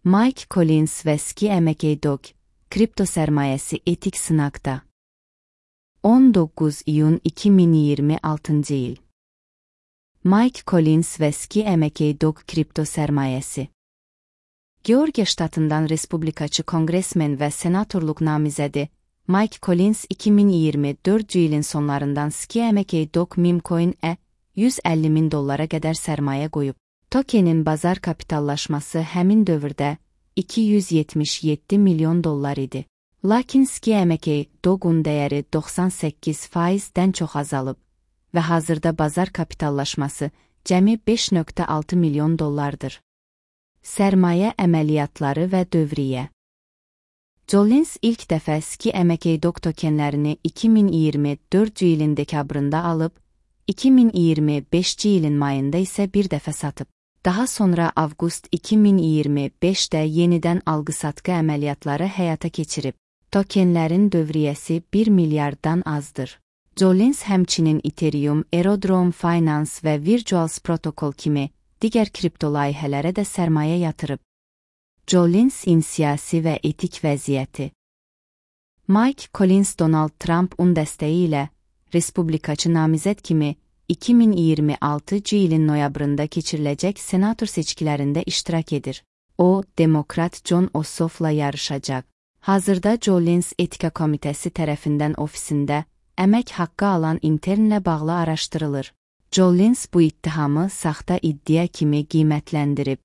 Mike Collins və Ski Dog, kripto sərmayəsi etik sınaqda. 19 iyun 2026 il. Mike Collins və Ski Dog kripto sərmayəsi. Georgiya ştatından respublikaçı konqresmen və senatorluq namizədi Mike Collins 2024 ilin sonlarından Ski Dog Memecoin-ə $150,000 qədər sərmayə qoyub. Tokenin bazar kapitallaşması həmin dövrdə $277 milyon idi. Lakin Ski Dog'un dəyəri 98%-dən çox azalıb və hazırda bazar kapitallaşması cəmi $5.6 milyon. Sərmayə əməliyyatları və dövriyyə. Collins ilk dəfə Ski Dog tokenlərini 2024 ilin dekabrında alıb, 2025 ilin mayında isə bir dəfə satıb. Daha sonra avqust 2025-də yenidən alqı-satqı əməliyyatları həyata keçirib. Tokenlərin dövriyyəsi 1 milyarddan azdır. Collins həmçinin Ethereum, Aerodrome Finance və Virtuals Protocol kimi digər kripto layihələrə də sərmayə yatırıb. Collinsin siyasi və etik vəziyyəti. Mike Collins Donald Trump'un dəstəyi ilə respublikaçı namizəd kimi 2026 ilin noyabrında keçiriləcək senator seçkilərində iştirak edir. O, demokrat Jon Ossoff'la yarışacaq. Hazırda Collins Etika Komitəsi tərəfindən ofisində əmək haqqı alan internlə bağlı araşdırılır. Collins bu ittihamı saxta iddia kimi qiymətləndirib.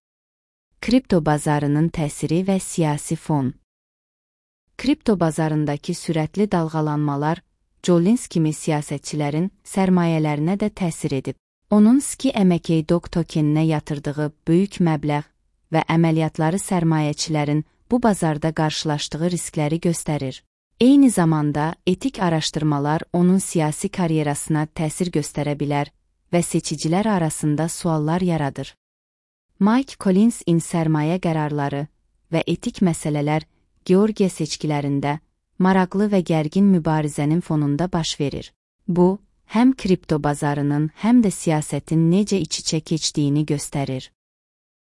Kripto bazarının təsiri və siyasi fon. Kripto bazarındakı sürətli dalğalanmalar Collins kimi siyasətçilərin sərmayələrinə də təsir edib. Onun Ski Dog tokeninə yatırdığı böyük məbləğ və əməliyyatları sərmayəçilərin bu bazarda qarşılaşdığı riskləri göstərir. Eyni zamanda etik araşdırmalar onun siyasi karyerasına təsir göstərə bilər və seçicilər arasında suallar yaradır. Mike Collinsin sərmayə qərarları və etik məsələlər Georgiya seçkilərində maraqlı və gərgin mübarizənin fonunda baş verir. Bu, həm kripto bazarının, həm də siyasətin necə iç-içə keçdiyini göstərir.